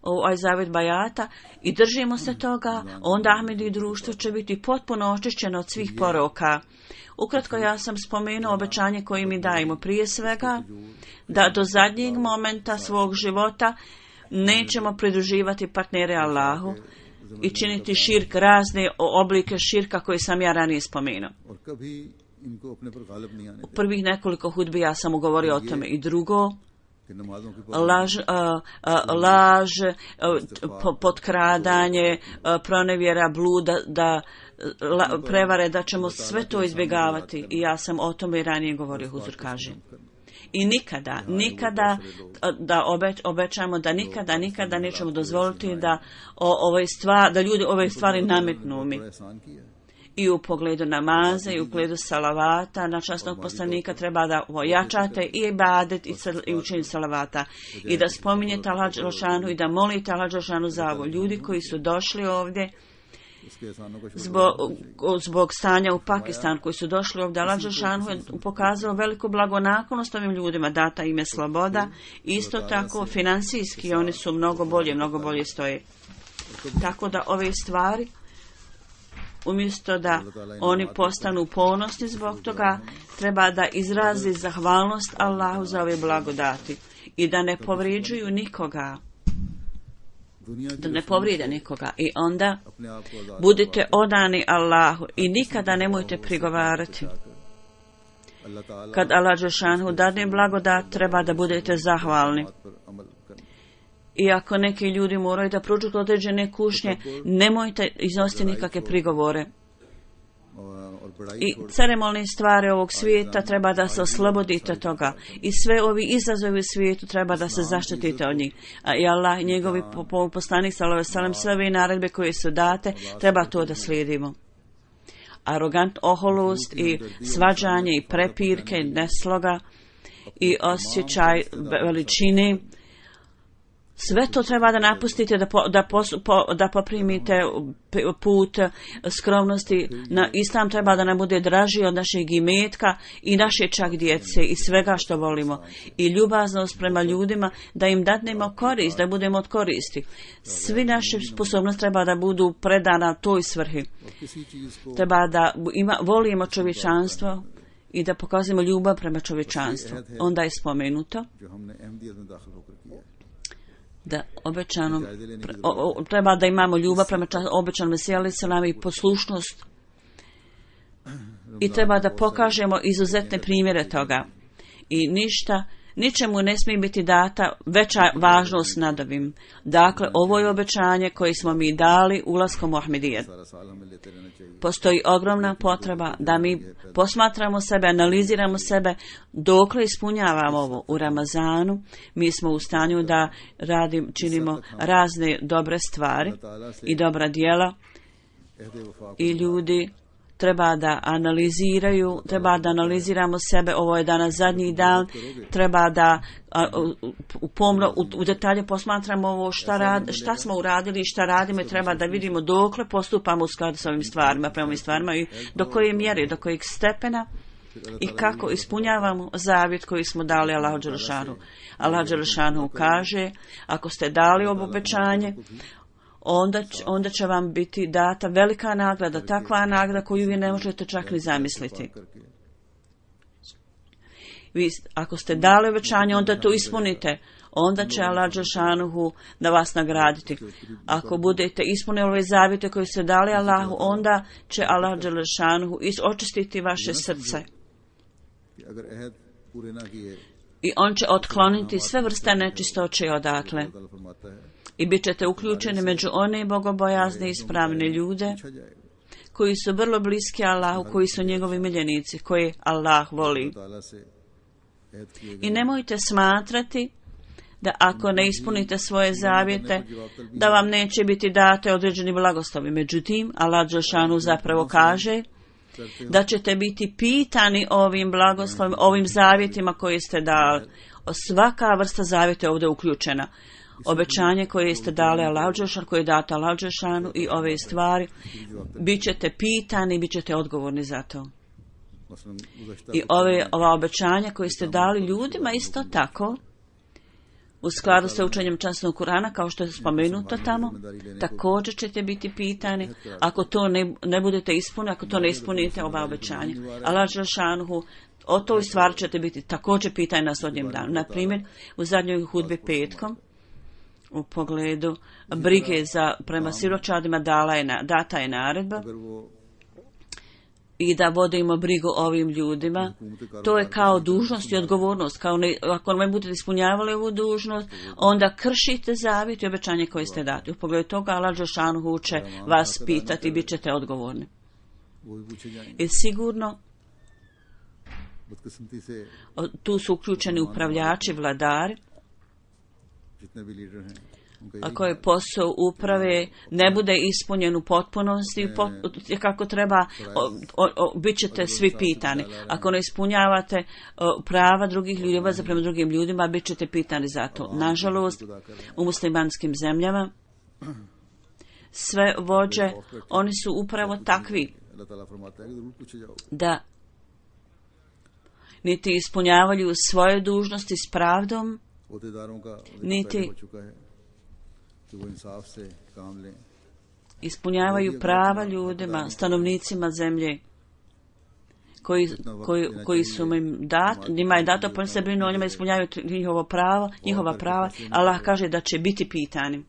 ovaj zavjet bajata i držimo se toga, onda Ahmedi društvo će biti potpuno očišćeno od svih poroka. Ukratko, ja sam spomenuo obećanje koje mi dajemo. Prije svega, da do zadnjeg momenta svog života nećemo pridruživati partnere Allahu i činiti širk, razne oblike širka koje sam ja ranije spomenuo. U prvih nekoliko hudbi ja sam govorio o tome. I drugo, laž, a, a, laž a, potkradanje, a, pronevjera, bluda, da, la, prevare, da ćemo sve to izbjegavati. I ja sam o tome i ranije govorio, Huzur kaže. I nikada, nikada da obeč, obećamo da nikada, nikada nećemo dozvoliti da o, ove stvari, da ljudi ove stvari nametnu mi. I u pogledu namaza i u pogledu salavata na časnog poslanika treba da ojačate i ibadet i, i učenje salavata i da spominjete Allah dželešanu i da molite Allah dželešanu za ovo. Ljudi koji su došli ovdje zbog, zbog stanja u Pakistanu, koji su došli ovdje, Allah dželešanu je pokazao veliku blagonaklonost ovim ljudima, data im je sloboda, isto tako financijski oni su mnogo bolje, mnogo bolje stoje. Tako da ove stvari, umjesto da oni postanu ponosni zbog toga, treba da izrazi zahvalnost Allahu za ove blagodati i da ne povrijeđuju nikoga, da ne povrijede nikoga. I onda budite odani Allahu i nikada nemojte prigovarati. Kad Allah dželešanu dadne blagodat, treba da budete zahvalni. I ako neki ljudi moraju da prođu određene kušnje, nemojte iznositi nikakve prigovore. I ceremonalne stvari ovog svijeta treba da se oslobodite toga. I sve ovi izazovi u svijetu treba da se zaštitite od njih. A i Allah i njegovi poslanik sallallahu alejhi ve sellem, sve ove naredbe koje su date, treba to da slijedimo. Arogant oholost i svađanje i prepirke, nesloga i osjećaj veličine, sve to treba da napustite, da, po, da, pos, po, da poprimite put skromnosti. Na Islam treba da nam bude draži od našeg imetka i naše čak djece i svega što volimo. I ljubaznost prema ljudima, da im dadnemo korist, da budemo od koristi. Svi naše sposobnosti treba da budu predana toj svrhi. Treba da ima, volimo čovječanstvo i da pokazujemo ljubav prema čovječanstvu. Onda je spomenuto da obećano o, o, treba da imamo ljubav prema obećanom Mesiji alejhi selam i poslušnost i treba da pokažemo izuzetne primjere toga i ništa, ničemu ne smije biti data veća važnost nad ovim. Dakle, ovo je obećanje koje smo mi dali ulaskom u Ahmedijet. Postoji ogromna potreba da mi posmatramo sebe, analiziramo sebe dokle ispunjavamo ovo u Ramazanu. Mi smo u stanju da radim, činimo razne dobre stvari i dobra djela i ljudi treba da analiziraju, treba da analiziramo sebe, ovo je danas zadnji dan, treba da a, u, pomno, u, u detalje posmatramo ovo šta, rad, šta smo uradili i šta radimo i treba da vidimo dokle postupamo u skladu s ovim stvarima, prema ovim stvarima i do koje mjere, do kojeg stepena i kako ispunjavamo zavjet koji smo dali Allahu dželešanu. Allah dželešanu kaže, ako ste dali ovo obećanje, Onda, onda će vam biti data velika nagrada, takva nagrada koju vi ne možete čak ni zamisliti. Vi, ako ste dali obećanje, onda to ispunite. Onda će Allah dželešanu da vas nagraditi. Ako budete ispunili ove zavjete koje ste dali Allahu, onda će Allah dželešanu očistiti vaše srce. I on će otkloniti sve vrste nečistoće odatle. I bit ćete uključeni među one bogobojazne i ispravne ljude koji su vrlo bliski Allahu, koji su njegovi miljenici, koji Allah voli. I nemojte smatrati da ako ne ispunite svoje zavjete, da vam neće biti date određeni blagoslovi. Međutim, Allah dželešanu zapravo kaže da ćete biti pitani ovim blagoslovima, ovim zavjetima koje ste dali. Svaka vrsta zavjeta je ovdje uključena. obećanje koje ste dali Allahu dželešanu, koje je dato Allahu dželešanu i ove stvari, bit ćete pitani, bit ćete odgovorni za to. I ove, ova obećanja koje ste dali ljudima isto tako, u skladu sa učenjem časnog Kurana, kao što je spomenuto tamo, također ćete biti pitani ako to ne, ne budete ispunili, ako to ne ispunite ova obećanja. Allah dželešanu, o toj stvari ćete biti također pitani na sudnjem danu. Na primjer, u zadnjoj hudbi petkom, u pogledu brige za prema siročadima dala je na, data je naredba i da vodimo brigu ovim ljudima. To je kao dužnost i odgovornost. Kao ne, ako ne budete ispunjavali ovu dužnost, onda kršite zavjet i obećanje koje ste dati. U pogledu toga Allah dželešanu će vas pitati i bit ćete odgovorni. I sigurno tu su uključeni upravljači, vladari, ako je posao uprave ne bude ispunjen u potpunosti kako treba, o, o, o, bit ćete svi pitani. Ako ne ispunjavate o, prava drugih ljudi, obaveze prema drugim ljudima, bit ćete pitani za to. Nažalost, u muslimanskim zemljama sve vođe, oni su upravo takvi da niti ispunjavaju svoje dužnosti s pravdom, niti ispunjavaju prava ljudima, stanovnicima zemlje koji, koji, koji su im dat, njima je dato, pa se brinu o njima, ispunjavaju njihovo pravo, njihova prava. Allah kaže da će biti pitani.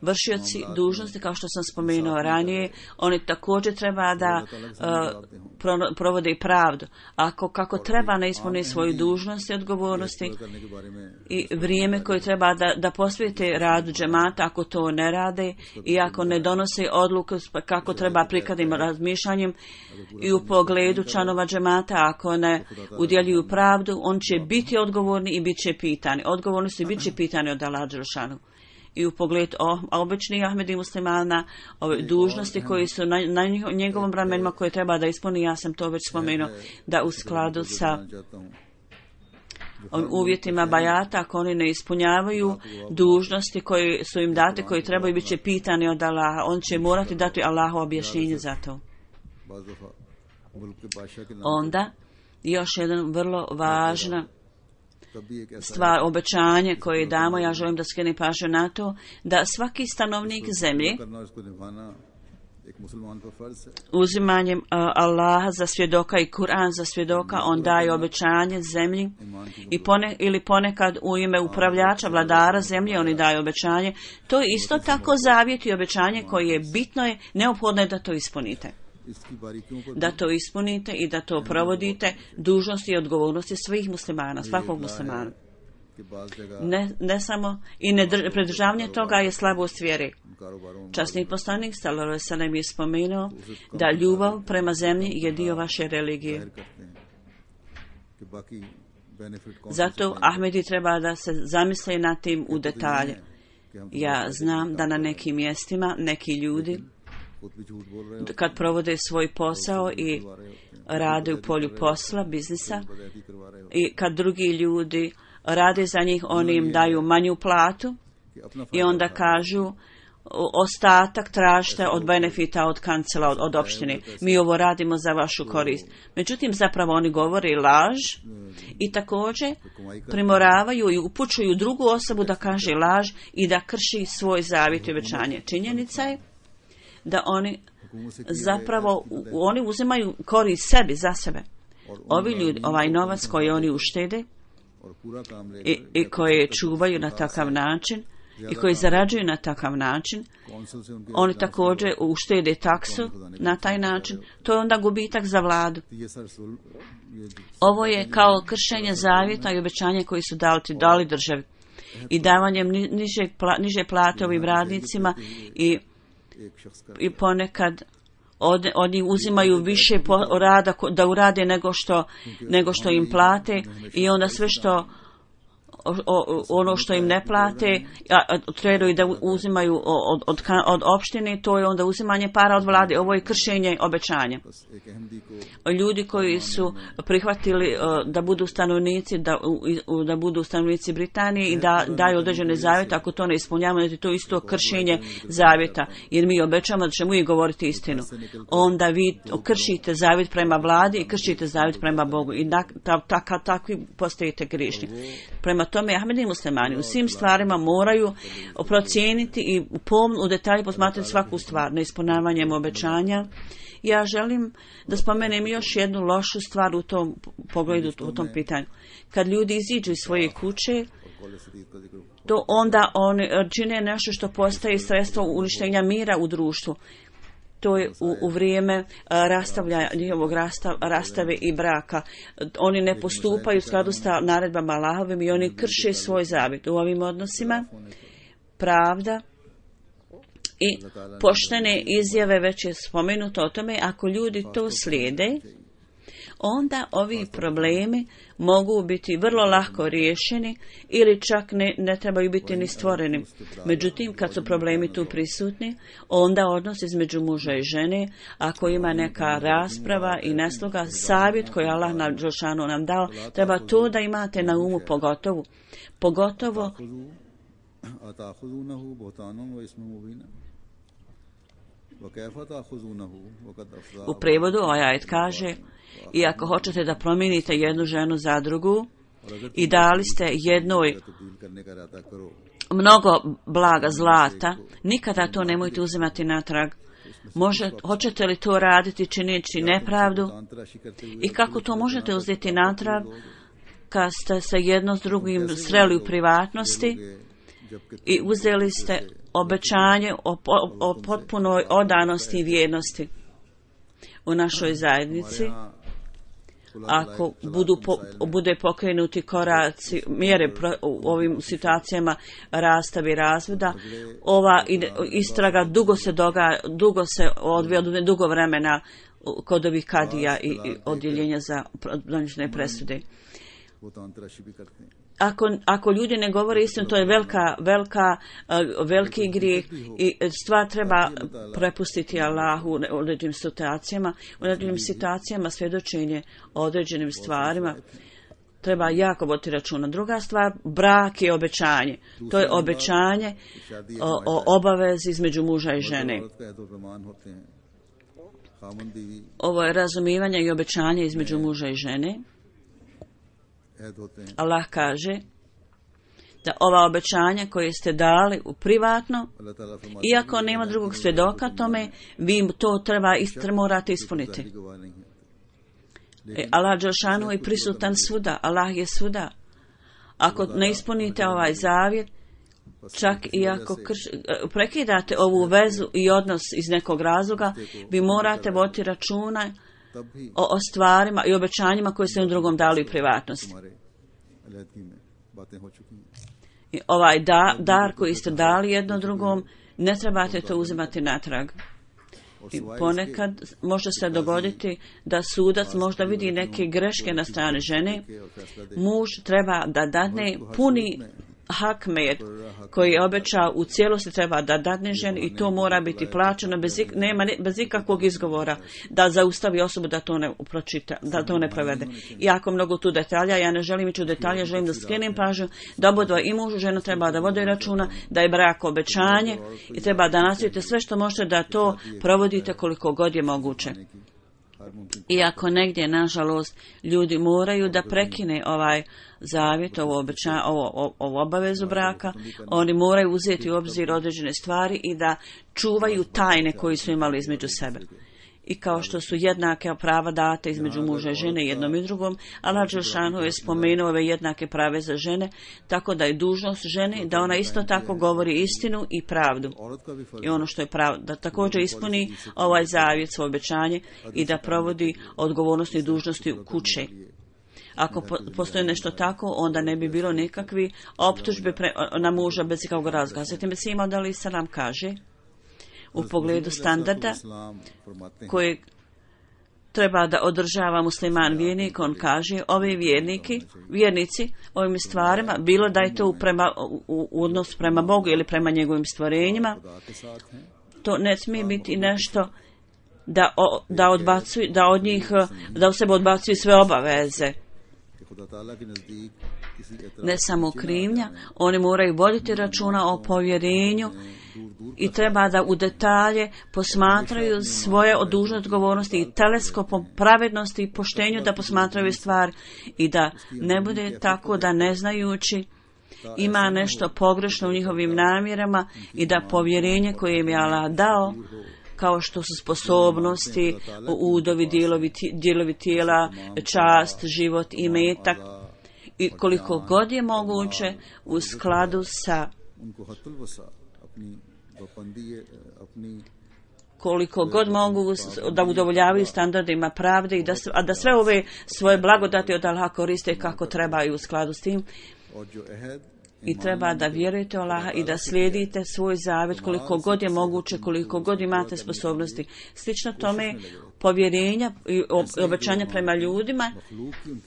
Vršioci dužnosti, kao što sam spomenuo ranije, oni također treba da uh, pro, provode i pravdu. Ako kako treba ne ispune svoju dužnost i odgovornosti i vrijeme koje treba da, da posvijete radu džemata, ako to ne rade i ako ne donose odluku kako treba prikladnim razmišljanjem i u pogledu članova džemata, ako ne udjeljuju pravdu, on će biti odgovorni i bit će pitani. Odgovorni su i bit će pitani od Allaha dželešanu. I u pogledu običnih Ahmedi muslimana, ove dužnosti koji su na, na njegovom ramenima koje treba da ispuni, ja sam to već spomenuo, da u skladu sa ovim uvjetima bajata, ako oni ne ispunjavaju dužnosti koje su im date, koje trebaju, bit će pitani od Allaha, on će morati dati Allahu objašnjenje za to. Onda, još jedan vrlo važna stvar, obećanje koje damo, ja želim da skrenem pažnju na to, da svaki stanovnik zemlje uzimanjem uh, Allaha za svjedoka i Kur'an za svjedoka, on daje obećanje zemlji i pone, ili ponekad u ime upravljača, vladara zemlje, oni daju obećanje. To je isto tako zavjet i obećanje koje je bitno, je neophodno je da to ispunite. Da to ispunite i da to provodite, dužnosti i odgovornosti svih muslimana, svakog muslimana. Ne, ne samo i ne pridržavanje toga je slabost vjere. Časni poslanik sallallahu alejhi ve sellem je spomenuo da ljubav prema zemlji je dio vaše religije. Zato Ahmedi treba da se zamisle na tim u detalje. Ja znam da na nekim mjestima neki ljudi kad provode svoj posao i rade u polju posla, biznisa, i kad drugi ljudi rade za njih, oni im daju manju platu i onda kažu ostatak tražite od benefita od kancela, od, od opštine. Mi ovo radimo za vašu korist. Međutim, zapravo oni govore laž i također primoravaju i upućuju drugu osobu da kaže laž i da krši svoj zavjet i obećanje. Činjenica je da oni zapravo oni uzimaju korist sebi za sebe. Ovi ljudi, ovaj novac koji oni uštede i, i koje čuvaju na takav način i koji zarađuju na takav način, oni također uštede taksu na taj način, to je onda gubitak za vladu. Ovo je kao kršenje zavjeta i obećanja koji su dali, dali državi i davanjem niže, pla, niže plate ovim radnicima i i ponekad od, od njih uzimaju više po, rada da urade nego što, nego što im plate i onda sve što o, o, ono što im ne plate, a, a trebaju da uzimaju od, od, od opštine, to je onda uzimanje para od vlade. Ovo je kršenje obećanja. Ljudi koji su prihvatili uh, da budu stanovnici, da, u, da budu stanovnici Britanije i da daju određene zavjete, ako to ne ispunjavamo, to je isto kršenje zavjeta, jer mi obećamo da ćemo i govoriti istinu. Onda vi kršite zavjet prema vladi i kršite zavjet prema Bogu i da, ta, ta, ta, takvi postajete grišni. Prema tome, Ahmedi muslimani u svim stvarima moraju procijeniti i pomno u detalji posmatrati svaku stvar, neispunjavanjem obećanja. Ja želim da spomenem još jednu lošu stvar u tom pogledu, u tom pitanju. Kad ljudi iziđu iz svoje kuće, to onda oni čine nešto što postaje sredstvo uništenja mira u društvu. To je u, u vrijeme rastavlja, njihovog rastav, rastave i braka. Oni ne postupaju u skladu sa naredbama Allahovim i oni krše svoj zavjet. U ovim odnosima pravda i poštene izjave, već je spomenuto o tome, ako ljudi to slijede, onda ovi problemi mogu biti vrlo lako riješeni ili čak ne, ne trebaju biti ni stvoreni. Međutim, kad su problemi tu prisutni, onda odnos između muža i žene, ako ima neka rasprava i nesloga, savjet koji Allah na Đelšanu nam dao, treba to da imate na umu pogotovo. Pogotovo u prevodu ovaj ajet kaže: i ako hoćete da promijenite jednu ženu za drugu i dali ste jednoj mnogo blaga zlata, nikada to nemojte uzimati natrag. Može, hoćete li to raditi čineći nepravdu? I kako to možete uzeti natrag kad ste se jedno s drugim sreli u privatnosti i uzeli ste obećanje o, o, o potpunoj odanosti i vjernosti u našoj zajednici? Ako budu po, bude pokrenuti koraci, mjere pro, u ovim situacijama rastava i razvoda, ova istraga dugo se doga, dugo se odvija, dugo vremena kod ovih kadija i, i odjeljenja za donošenje presude. Ako, ako ljudi ne govore istinu, to je velika, velika, uh, veliki grijeh i stvar treba prepustiti Allahu u određenim situacijama. U određenim situacijama svjedočenje o određenim stvarima treba jako voditi računa. Druga stvar, brak je obećanje. To je obećanje o, o obavezi između muža i žene. Ovo je razumijevanje i obećanje između muža i žene. Allah kaže da ova obećanja koje ste dali u privatno, iako nema drugog svjedoka tome, vi to treba ist, morate ispuniti. E, Allah Đelšanu je prisutan svuda, Allah je svuda. Ako ne ispunite ovaj zavjet, čak i ako krš, prekidate ovu vezu i odnos iz nekog razloga, vi morate voditi računa o, o stvarima i obećanjima koje ste u drugom dali u privatnosti. I ovaj da, dar koji ste dali jedno drugom, ne trebate to uzimati natrag. I ponekad može se dogoditi da sudac možda vidi neke greške na strani žene. Muž treba da dadne puni hakmet koji je obećao u cijelosti, treba da dadne ženi i to mora biti plaćeno bez, ik, nema, bez ikakvog izgovora da zaustavi osobu da to ne pročita, da to ne provede. Jako mnogo tu detalja, ja ne želim ići u detalje, želim da skrenem pažnju da obodva i muž i žena treba da vode računa da je brak obećanje i treba da nastavite sve što možete da to provodite koliko god je moguće. Iako negdje, nažalost, ljudi moraju da prekine ovaj zavjet, ovo obećanje, ovo, ovo obavezu braka, oni moraju uzeti u obzir određene stvari i da čuvaju tajne koje su imali između sebe. I kao što su jednake prava date između muža i žene jednom i drugom, Allah Đelšanu je spomenuo ove jednake prave za žene, tako da je dužnost žene da ona isto tako govori istinu i pravdu. I ono što je pravo, da također ispuni ovaj zavjet, svoje obećanje i da provodi odgovornosti i dužnosti u kuće. Ako po, postoji nešto tako, onda ne bi bilo nikakvi optužbe pre, na muža bez ikakvog razloga. Zatim se ima da li se nam kaže u pogledu standarda koje treba da održava musliman vjernik. On kaže, ovi vjerniki, vjernici ovim stvarima, bilo da je to prema, u, u odnos prema Bogu ili prema njegovim stvorenjima, to ne smije biti nešto da, o, da, odbacuju, da od njih, da u sebe odbacuju sve obaveze. Ne samo krivnja, oni moraju voditi računa o povjerenju i treba da u detalje posmatraju svoje dužne odgovornosti i teleskopom pravednosti i poštenju da posmatraju stvar i da ne bude tako da ne znajući ima nešto pogrešno u njihovim namjerama i da povjerenje koje im je Allah dao, kao što su sposobnosti, udovi, dijelovi, dijelovi tijela, čast, život i metak, i koliko god je moguće u skladu sa koliko god mogu da udovoljavaju standardima pravde i da, a da sve ove svoje blagodati od Allaha koriste kako treba i u skladu s tim. I treba da vjerujete u Allaha i da slijedite svoj zavjet koliko god je moguće, koliko god imate sposobnosti. Slično tome, povjerenja i obećanja prema ljudima,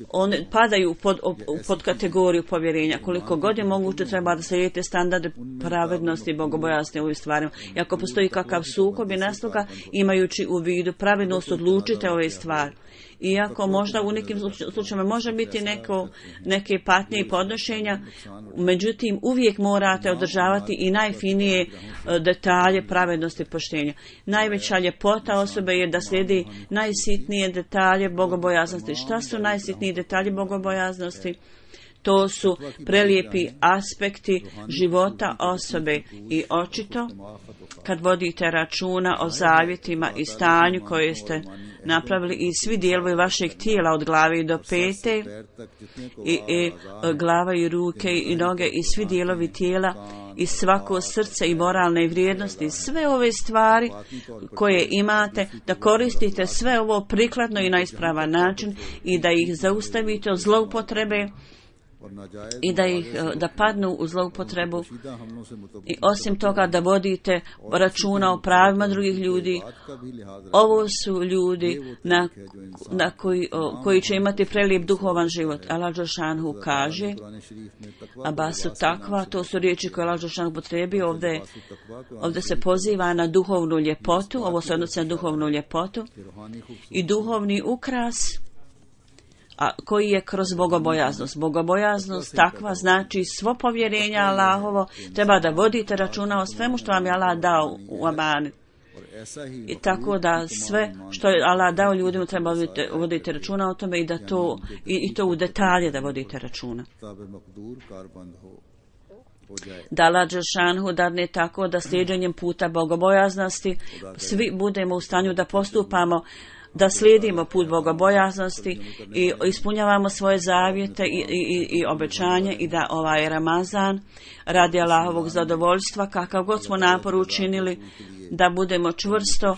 one padaju pod, pod kategoriju povjerenja. Koliko god je moguće, treba da slijedite standarde pravednosti i bogobojaznosti u ovim stvarima. I ako postoji kakav sukob i nasluga, imajući u vidu pravednost, odlučite ove stvari. Iako možda u nekim slučajevima može biti neko, neke patnje i podnošenja, međutim uvijek morate održavati i najfinije detalje pravednosti i poštenja. Najveća ljepota osobe je da slijedi najsitnije detalje bogobojaznosti. Šta su najsitniji detalji bogobojaznosti? To su prelijepi aspekti života osobe i očito kad vodite računa o zavjetima i stanju koje ste napravili i svi dijelovi vašeg tijela od glave do pete i, i glava i ruke i noge i svi dijelovi tijela i svako srce i moralne vrijednosti, sve ove stvari koje imate, da koristite sve ovo prikladno i na ispravan način i da ih zaustavite od zloupotrebe i da ih da padnu u zloupotrebu i osim toga da vodite računa o pravima drugih ljudi. Ovo su ljudi na, na koji, o, koji će imati prelijep duhovan život. Allah dželešanu kaže, a basu takva, to su riječi koje Allah dželešanu potrebi, ovdje, ovdje se poziva na duhovnu ljepotu, ovo se odnosi na duhovnu ljepotu i duhovni ukras, a koji je kroz bogobojaznost. Bogobojaznost takva znači svo povjerenje Allahovo, treba da vodite računa o svemu što vam je Allah dao u amanet. I tako da sve što je Allah dao ljudima treba vodite, vodite računa o tome i da to i, i to u detalje da vodite računa. Da Allah dželešanu dadne tako da slijeđenjem puta bogobojaznosti svi budemo u stanju da postupamo, da slijedimo put bogobojaznosti i ispunjavamo svoje zavjete i, i, i obećanje i da ovaj Ramazan radi Allahovog zadovoljstva, kakav god smo napor učinili, da budemo čvrsto uh,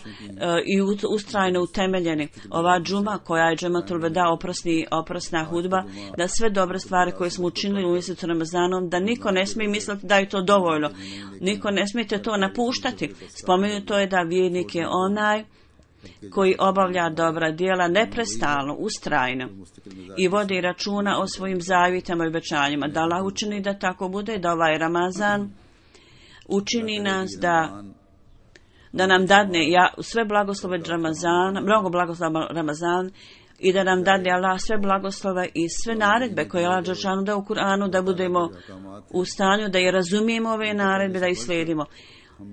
i ustrajno utemeljeni. Ova džuma koja je džematul veda, oprosni, oprosna hudba, da sve dobre stvari koje smo učinili u mjesecu Ramazanom, da niko ne smije misliti da je to dovoljno. Niko ne smijete to napuštati. Spomenuto je da vjernik je onaj koji obavlja dobra djela neprestalno, ustrajno i vodi računa o svojim zavjetama i obećanjima. Da Allah učini da tako bude, da ovaj Ramazan učini nas da da nam dadne ja, sve blagoslove Ramazana, mnogo blagoslova Ramazan i da nam dadne Allah sve blagoslove i sve naredbe koje Allah dželešanu da u Kur'anu, da budemo u stanju da je razumijemo ove naredbe, da ih slijedimo.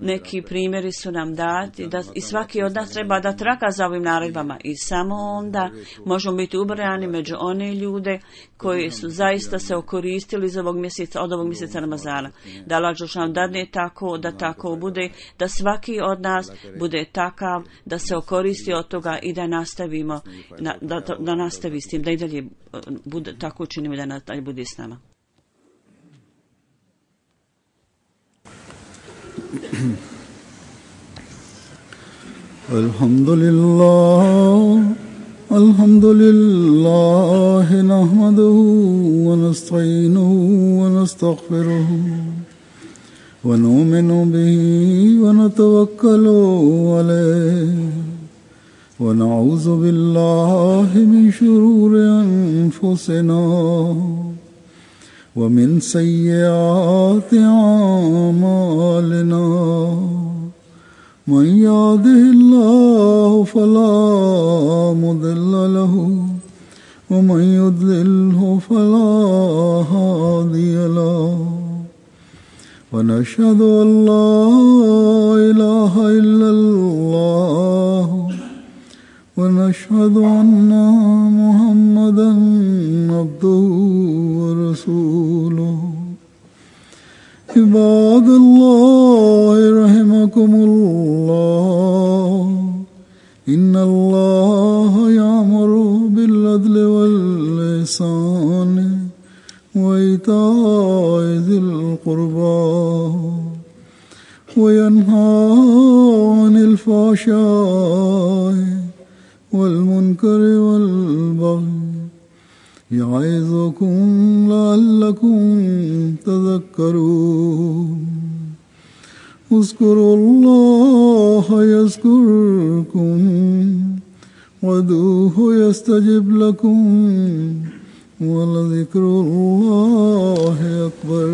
Neki primjeri su nam dati da i svaki od nas treba da traka za ovim naredbama i samo onda možemo biti ubrojani među one ljude koji su zaista se okoristili iz ovog mjeseca, od ovog mjeseca Ramazana. Da Allah dželešanu dadne tako, da tako bude, da svaki od nas bude takav, da se okoristi od toga i da nastavimo, na, da, da, da nastavi s tim, da i dalje bude, tako učinimo da nadalje bude s nama. Alhamdulillah, alhamdulillah, nahmaduhu wa nasta'inuhu wa nastaghfiruhu wa nu'minu bihi wa natawakkalu alayhi ونعوذ بالله من شرور أنفسنا ومن سيئات أعمالنا من يهده الله فلا مضل له ومن يضلله فلا هادي له ونشهد أن لا إله إلا الله ونشهد أن محمدا عبده ورسوله عباد الله رحمكم الله إن الله يأمر بالعدل والإحسان وإيتاء ذي القربى وينهى عن الفحشاء والمنكر والبغي يعظكم لعلكم تذكرون اذكروا الله يذكركم وادعوه يستجب لكم ولذكر الله أكبر.